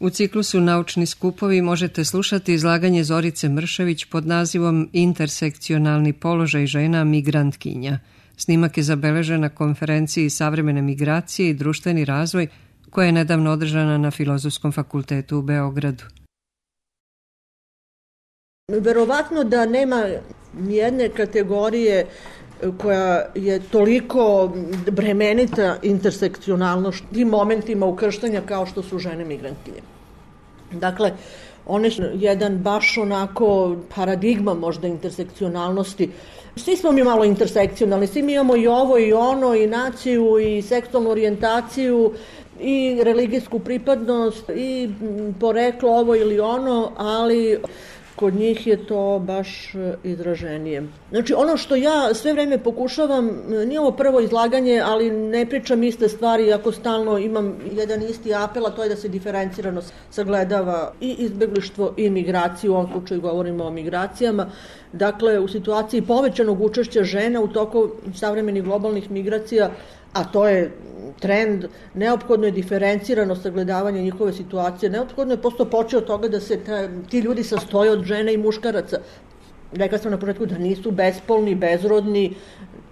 U ciklusu Naučni skupovi možete slušati izlaganje Zorice Mršević pod nazivom Intersekcionalni položaj žena migrantkinja. Snimak je zabeležen na konferenciji Savremene migracije i društveni razvoj koja je nedavno održana na Filozofskom fakultetu u Beogradu. Verovatno da nema nijedne kategorije koja je toliko bremenita intersekcionalnošću i momentima ukrštanja kao što su žene migrantkinje. Dakle, one su jedan baš onako paradigma možda intersekcionalnosti. Svi smo mi malo intersekcionalni, svi mi imamo i ovo i ono, i naciju, i seksualnu orijentaciju, i religijsku pripadnost, i poreklo ovo ili ono, ali kod njih je to baš izraženije. Znači, ono što ja sve vreme pokušavam, nije ovo prvo izlaganje, ali ne pričam iste stvari, ako stalno imam jedan isti apel, a to je da se diferencirano sagledava i izbeglištvo i migraciju, u ovom slučaju govorimo o migracijama. Dakle, u situaciji povećanog učešća žena u toku savremenih globalnih migracija, a to je trend, neophodno je diferencirano sagledavanje njihove situacije, neophodno je posto počeo od toga da se ti ljudi sastoje od žena i muškaraca. Rekla sam na početku da nisu bespolni, bezrodni,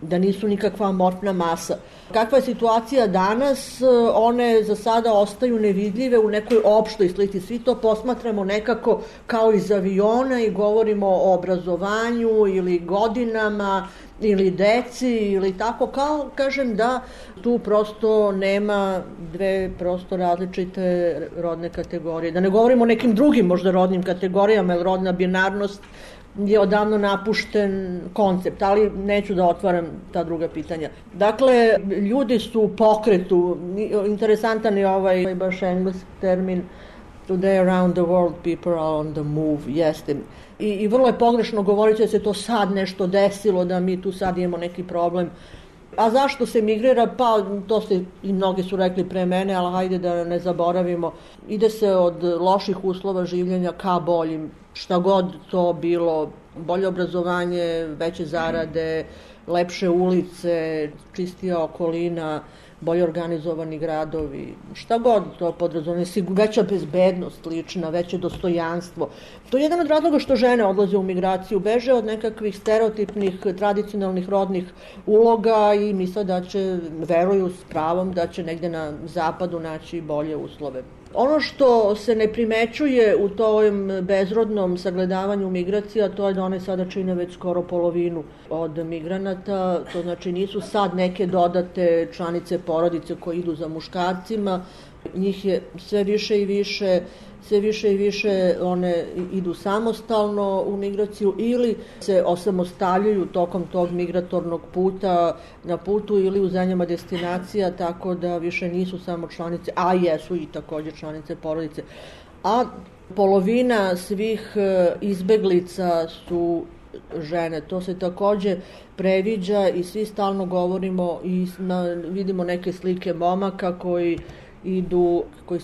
da nisu nikakva amorfna masa. Kakva je situacija danas, one za sada ostaju nevidljive u nekoj opštoj slici. Svi to posmatramo nekako kao iz aviona i govorimo o obrazovanju ili godinama ili deci ili tako, kao kažem da tu prosto nema dve prosto različite rodne kategorije. Da ne govorimo o nekim drugim možda rodnim kategorijama, jer rodna binarnost je odavno napušten koncept, ali neću da otvaram ta druga pitanja. Dakle, ljudi su u pokretu, interesantan je ovaj baš engleski termin, today around the world people are on the move, jeste. I vrlo je pogrešno govoriti da se to sad nešto desilo, da mi tu sad imamo neki problem. A zašto se migrira? Pa to ste i mnogi su rekli pre mene, ali hajde da ne zaboravimo. Ide se od loših uslova življenja ka boljim, šta god to bilo, bolje obrazovanje, veće zarade, lepše ulice, čistija okolina, bolje organizovani gradovi, šta god to podrazumije, veća bezbednost lična, veće dostojanstvo. To je jedan od razloga što žene odlaze u migraciju, beže od nekakvih stereotipnih, tradicionalnih rodnih uloga i misle da će, veruju s pravom, da će negde na zapadu naći bolje uslove. Ono što se ne primećuje u tom bezrodnom sagledavanju migracija, to je da one sada čine već skoro polovinu od migranata, to znači nisu sad neke dodate članice porodice koje idu za muškarcima, njih je sve više i više one idu samostalno u migraciju ili se osamostaljuju tokom tog migratornog puta na putu ili u zemljama destinacija, tako da više nisu samo članice, a jesu i također članice porodice. A polovina svih izbeglica su žene. To se također previđa i svi stalno govorimo i vidimo neke slike momaka koji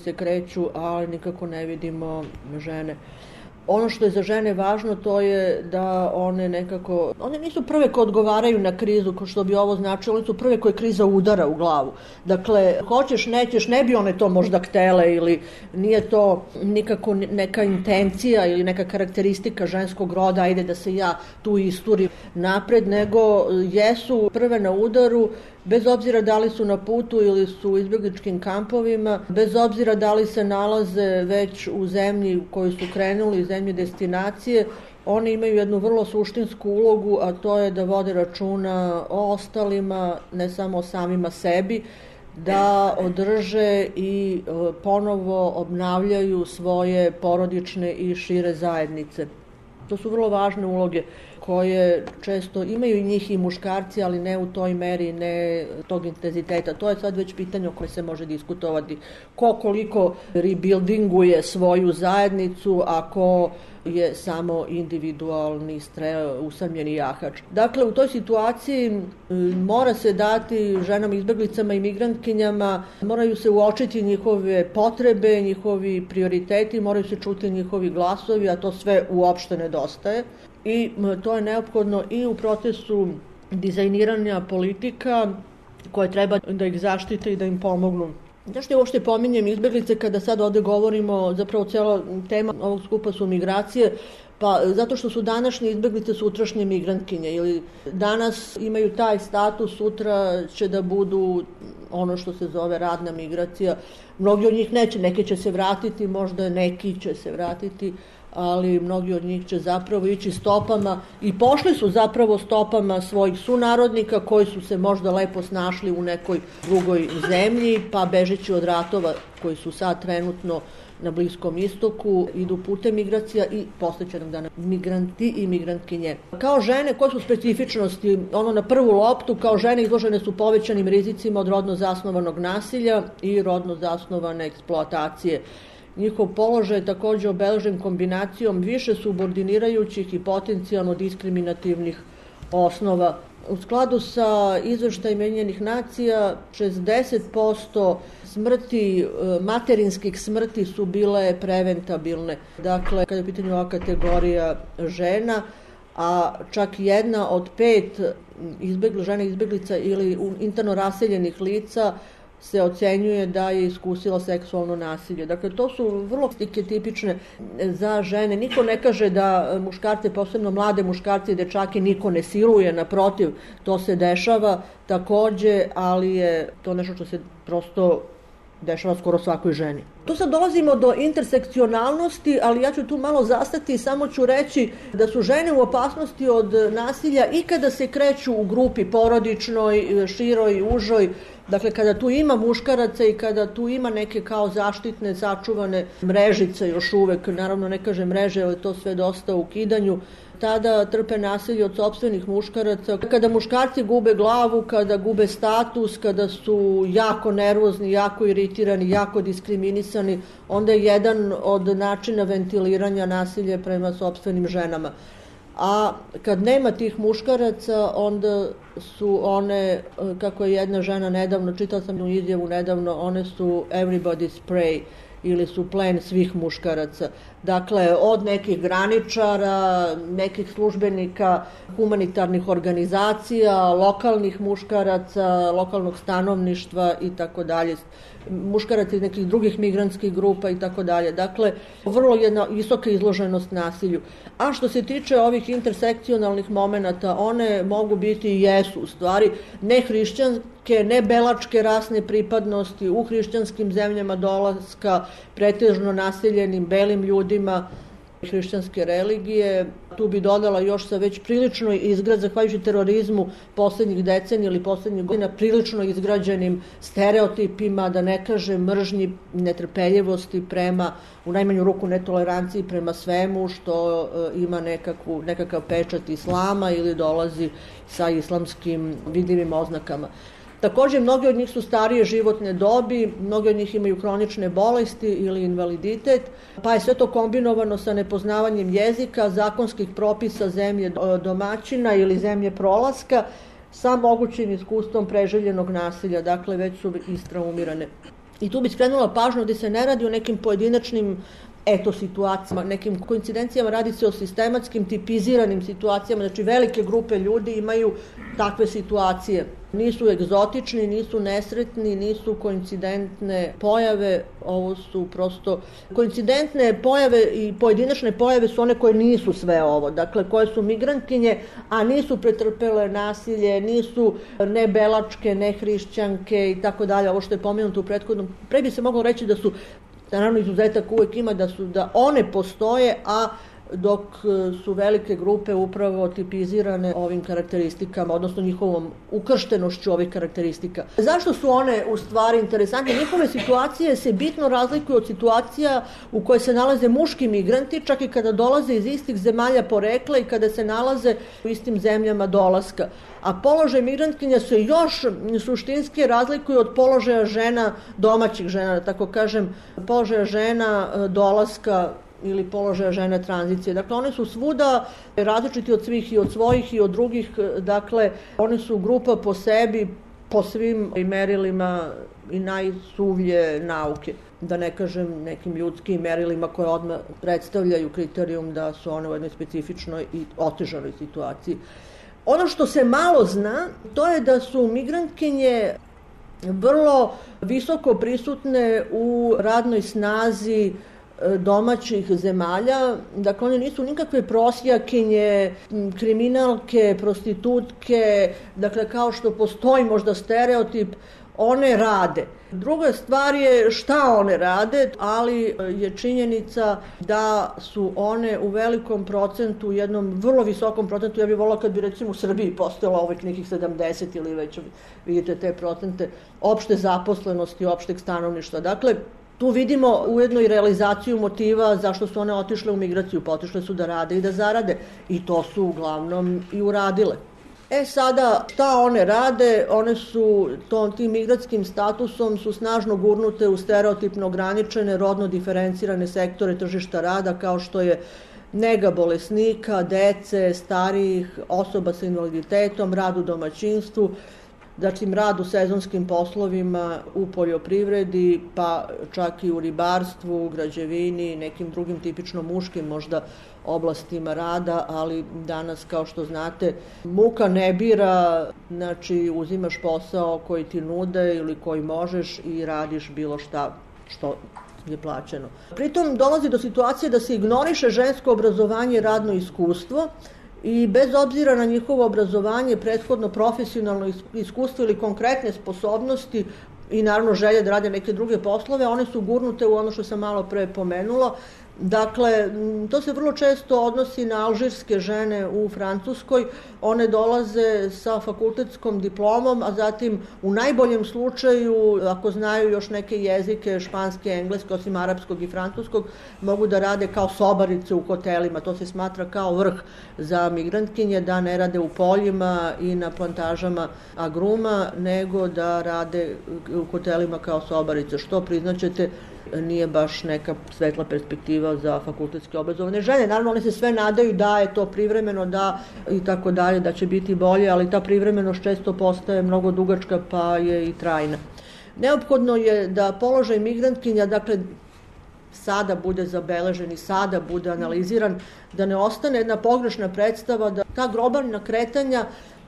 se kreću, ali nikako ne vidimo žene. Ono što je za žene važno, to je da one nisu prve koje odgovaraju na krizu, ko što bi ovo značilo, one su prve koje kriza udara u glavu. Dakle, hoćeš, nećeš, ne bi one to možda htele ili nije to nikako neka intencija ili neka karakteristika ženskog roda, ajde da se ja tu isturim napred, nego jesu prve na udaru, bez obzira da li su na putu ili su u izbjegličkim kampovima, bez obzira da li se nalaze već u zemlji u kojoj su krenuli, zemlji destinacije, oni imaju jednu vrlo suštinsku ulogu, a to je da vode računa o ostalima, ne samo o samima sebi, da održe i ponovo obnavljaju svoje porodične i šire zajednice. To su vrlo važne uloge koje često imaju i njih i muškarci, ali ne u toj meri, ne tog intenziteta. To je sad već pitanje o koje se može diskutovati. Ko koliko rebuildinguje svoju zajednicu, ako je samo individualni usamljeni jahač. Dakle, u toj situaciji mora se dati ženama izbeglicama i migrantkinjama, moraju se uočiti njihove potrebe, njihovi prioriteti, moraju se čuti njihovi glasovi, a to sve uopšte nedostaje. I to je neophodno i u procesu dizajniranja politika koje treba da ih zaštite i da im pomognu Zašto je uopšte pominjem izbeglice kada sad ovde govorimo, zapravo cijela tema ovog skupa su migracije, pa zato što su današnje izbeglice sutrašnje migrantkinje ili danas imaju taj status, sutra će da budu ono što se zove radna migracija. Mnogi od njih neće, neki će se vratiti, možda neki će se vratiti, ali mnogi od njih će zapravo ići stopama i pošli su zapravo stopama svojih sunarodnika koji su se možda lepo snašli u nekoj drugoj zemlji, pa bežeći od ratova koji su sad trenutno na Bliskom istoku, idu putem migracija i posle će nam dana migranti i migrantkinje. Kao žene, koje su specifičnosti? Ono na prvu loptu, kao žene izložene su povećanim rizicima od rodno zasnovanog nasilja i rodno zasnovane eksploatacije. Njihov položaj je također obeležen kombinacijom više subordinirajućih i potencijalno diskriminativnih osnova. U skladu sa izveštajem Ujedinjenih nacija, 60% smrti, materinskih smrti su bile preventabilne. Dakle, kada je u pitanju ova kategorija žena, a čak 1 od 5 žena izbeglica ili interno raseljenih lica se ocenjuje da je iskusila seksualno nasilje. Dakle, to su vrlo tipične za žene. Niko ne kaže da muškarce, posebno mlade muškarce i dečake, niko ne siluje, naprotiv, to se dešava takođe, ali je to nešto što se prosto dešava skoro svakoj ženi. Tu sad dolazimo do intersekcionalnosti, ali ja ću tu malo zastati i samo ću reći da su žene u opasnosti od nasilja i kada se kreću u grupi porodičnoj, široj, užoj, dakle kada tu ima muškaraca i kada tu ima neke kao zaštitne, sačuvane mrežice još uvek, naravno ne kažem mreže, ali to sve dosta u ukidanju, tada trpe nasilje od sopstvenih muškaraca. Kada muškarci gube glavu, kada gube status, kada su jako nervozni, jako iritirani, jako diskriminisani, onda je jedan od načina ventiliranja nasilje prema sopstvenim ženama. A kad nema tih muškaraca, onda su one, kako je jedna žena nedavno, čitala sam u izjavu nedavno, one su everybody's prey ili su plen svih muškaraca. Dakle, od nekih graničara, nekih službenika, humanitarnih organizacija, lokalnih muškaraca, lokalnog stanovništva i tako dalje, muškaraca iz nekih drugih migrantskih grupa i tako dalje. Dakle, vrlo jedna visoka izloženost nasilju. A što se tiče ovih intersekcionalnih momenata, one mogu biti i jesu u stvari nehrišćanske, nebelačke rasne pripadnosti u hrišćanskim zemljama dolaska, pretežno naseljenim belim ljudima hrišćanske religije. Tu bi dodala još sa već prilično zahvaljujući terorizmu poslednjih decenija ili poslednjih godina, prilično izgrađenim stereotipima, da ne kažem mržnji, netrpeljivosti prema, u najmanju ruku netoleranciji prema svemu što ima nekakav pečat islama ili dolazi sa islamskim vidljivim oznakama. Takođe, mnogi od njih su starije životne dobi, mnogi od njih imaju hronične bolesti ili invaliditet, pa je sve to kombinovano sa nepoznavanjem jezika, zakonskih propisa zemlje domaćina ili zemlje prolaska, sa mogućim iskustvom preželjenog nasilja, dakle već su istraumirane. I tu bi skrenula pažnju da se ne radi o nekim pojedinačnim situacijama, nekim koincidencijama, radi se o sistematskim, tipiziranim situacijama, znači velike grupe ljudi imaju takve situacije. Nisu egzotični, nisu nesretni, nisu koincidentne pojave, ovo su prosto koincidentne pojave i pojedinačne pojave su one koje nisu sve ovo, dakle koje su migrantkinje, a nisu pretrpele nasilje, nisu ne belačke, ne hrišćanke i tako dalje, ovo što je pomenuto u prethodnom. Pre bi se moglo reći da su, naravno izuzetak uvek ima, da one postoje, a dok su velike grupe upravo tipizirane ovim karakteristikama, odnosno njihovom ukrštenošću ovih karakteristika. Zašto su one u stvari interesantne? Njihove situacije se bitno razlikuju od situacija u kojoj se nalaze muški migranti, čak i kada dolaze iz istih zemalja porekla i kada se nalaze u istim zemljama dolaska. A položaj migrantkinja se još suštinski razlikuju od položaja žena, domaćih žena, da tako kažem, položaja žena dolaska ili položaja žena tranzicije. Dakle, one su svuda različiti od svih i od svojih i od drugih, dakle, one su grupa po sebi, po svim merilima i najsuvlje nauke. Da ne kažem nekim ljudskim merilima koje odmah predstavljaju kriterijum da su one u jednoj specifičnoj i otežanoj situaciji. Ono što se malo zna, to je da su migrantkinje vrlo visoko prisutne u radnoj snazi domaćih zemalja. Dakle, one nisu nikakve prosjakinje, kriminalke, prostitutke, dakle, kao što postoji možda stereotip, one rade. Druga stvar je šta one rade, ali je činjenica da su one u velikom procentu, u jednom vrlo visokom procentu, ja bih volila kad bi recimo u Srbiji postojalo ovih nekih 70 ili već vidite te procente opšte zaposlenosti, opšteg stanovništva. Dakle, tu vidimo ujedno i realizaciju motiva zašto su one otišle u migraciju, pa otišle su da rade i da zarade i to su uglavnom i uradile. Sada, šta one rade? One su tim migratskim statusom su snažno gurnute u stereotipno ograničene, rodno diferencirane sektore tržišta rada kao što je nega bolesnika, dece, starijih, osoba sa invaliditetom, rad u domaćinstvu, zatim rad u sezonskim poslovima, u poljoprivredi, pa čak i u ribarstvu, građevini, nekim drugim tipično muškim možda oblastima rada, ali danas, kao što znate, muka ne bira, znači uzimaš posao koji ti nude ili koji možeš i radiš bilo šta što je plaćeno. Pritom dolazi do situacije da se ignoriše žensko obrazovanje i radno iskustvo, i bez obzira na njihovo obrazovanje, prethodno profesionalno iskustvo ili konkretne sposobnosti i naravno želje da rade neke druge poslove, one su gurnute u ono što sam malo pre pomenula. Dakle, to se vrlo često odnosi na alžirske žene u Francuskoj. One dolaze sa fakultetskom diplomom, a zatim u najboljem slučaju, ako znaju još neke jezike, španski, engleski, osim arapskog i francuskog, mogu da rade kao sobarice u hotelima. To se smatra kao vrh za migrantkinje, da ne rade u poljima i na plantažama agruma, nego da rade u hotelima kao sobarice, što priznaćete nije baš neka svetla perspektiva za fakultetski obrazovane žene. Naravno, one se sve nadaju da je to privremeno, da i tako dalje, da će biti bolje, ali ta privremenost često postaje mnogo dugačka, pa je i trajna. Neophodno je da položaj migrantkinja, dakle, sada bude zabeležen i sada bude analiziran, da ne ostane jedna pogrešna predstava da ta globalna kretanja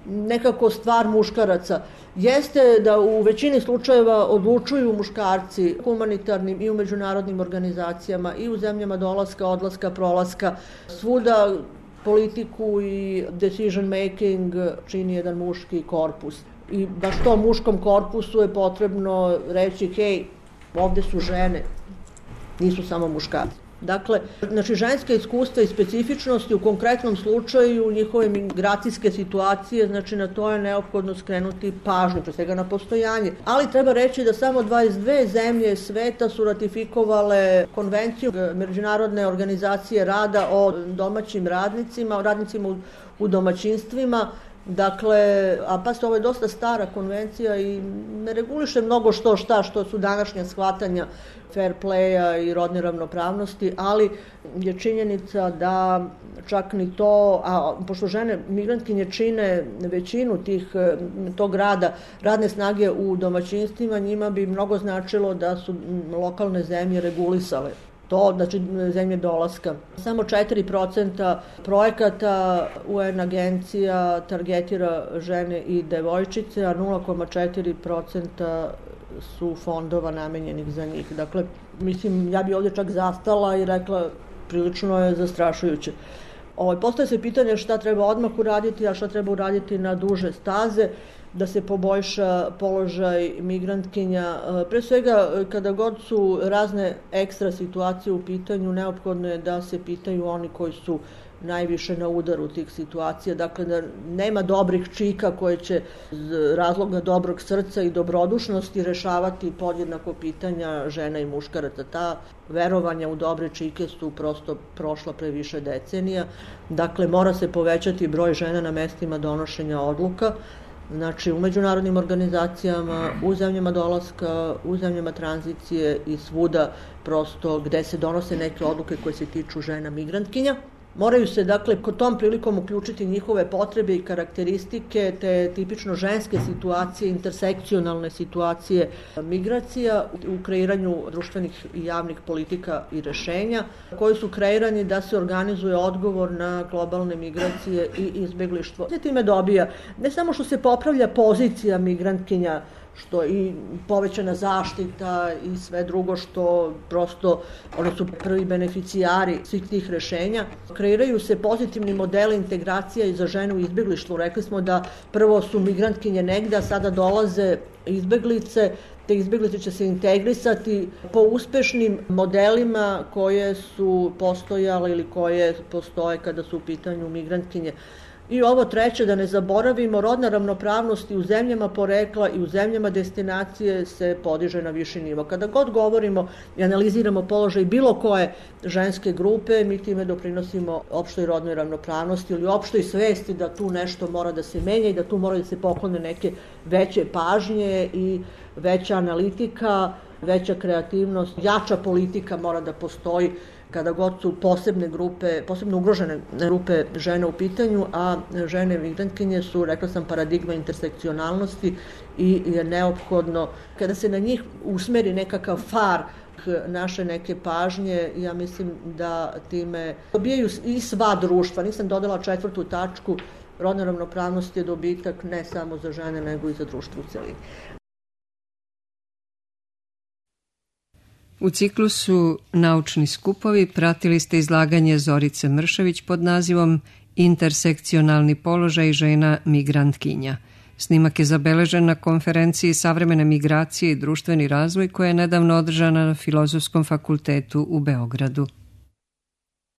nekako stvar muškaraca. Jeste da u većini slučajeva odlučuju muškarci humanitarnim i u međunarodnim organizacijama i u zemljama dolaska, odlaska, prolaska. Svuda politiku i decision making čini jedan muški korpus. I baš tom muškom korpusu je potrebno reći, hej, ovde su žene, nisu samo muškarci. Dakle, znači ženske iskustva i specifičnosti u konkretnom slučaju njihove migracijske situacije, znači na to je neophodno skrenuti pažnju, pre svega na postojanje. Ali treba reći da samo 22 zemlje sveta su ratifikovale konvenciju Međunarodne organizacije rada o domaćim radnicima, o radnicima u domaćinstvima. Dakle, ovo je dosta stara konvencija i ne reguliše mnogo što su današnja shvatanja fair playa i rodne ravnopravnosti, ali je činjenica da čak ni to, a pošto žene migrantkinje čine većinu tog rada, radne snage u domaćinstvima, njima bi mnogo značilo da su lokalne zemlje regulisale to, znači zemlje dolaska. Samo 4% projekata UN agencija targetira žene i devojčice, a 0,4% su fondova namenjenih za njih. Dakle, mislim, ja bi ovdje čak zastala i rekla, prilično je zastrašujuće. Postaje se pitanje šta treba odmah uraditi, a šta treba uraditi na duže staze, da se poboljša položaj migrantkinja. Pre svega, kada god su razne ekstra situacije u pitanju, neophodno je da se pitaju oni koji su najviše na udaru tih situacija. Dakle, da nema dobrih čika koje će iz razloga dobrog srca i dobrodušnosti rešavati podjednako pitanja žena i muškaraca. Ta verovanja u dobre čike su prosto prošla pre više decenija. Dakle, mora se povećati broj žena na mestima donošenja odluka, znači u međunarodnim organizacijama, u zemljama dolaska, u zemljama tranzicije i svuda prosto gde se donose neke odluke koje se tiču žena migrantkinja. Moraju se, dakle, kod tom prilikom uključiti njihove potrebe i karakteristike, te tipično ženske situacije, intersekcionalne situacije migracija u kreiranju društvenih i javnih politika i rešenja, koji su kreirani da se organizuje odgovor na globalne migracije i izbeglištvo. Time dobija ne samo što se popravlja pozicija migrantkinja što i povećana zaštita i sve drugo što prosto oni su prvi beneficijari svih tih rešenja. Kreiraju se pozitivni modeli integracija i za žene u izbeglištvu. Rekli smo da prvo su migrantkinje negde, a sada dolaze izbeglice, te izbeglice će se integrisati po uspešnim modelima koje su postojale ili koje postoje kada su u pitanju migrantkinje. I ovo treće, da ne zaboravimo, rodna ravnopravnost i u zemljama porekla i u zemljama destinacije se podiže na viši nivo. Kada god govorimo i analiziramo položaj bilo koje ženske grupe, mi time doprinosimo opštoj rodnoj ravnopravnosti ili opštoj svesti da tu nešto mora da se menja i da tu mora da se poklone neke veće pažnje i veća analitika, veća kreativnost, jača politika mora da postoji kada god su posebne grupe, posebno ugrožene grupe žena u pitanju, a žene migrantkinje su, rekla sam, paradigma intersekcionalnosti i je neophodno, kada se na njih usmeri nekakav far naše neke pažnje, ja mislim da time dobijaju i sva društva. Nisam dodala 4. tačku, rodna ravnopravnost je dobitak ne samo za žene, nego i za društvo u celini. U ciklusu Naučni skupovi pratili ste izlaganje Zorice Mršević pod nazivom Intersekcionalni položaj žena migrantkinja. Snimak je zabeležen na konferenciji Savremene migracije i društveni razvoj koja je nedavno održana na Filozofskom fakultetu u Beogradu.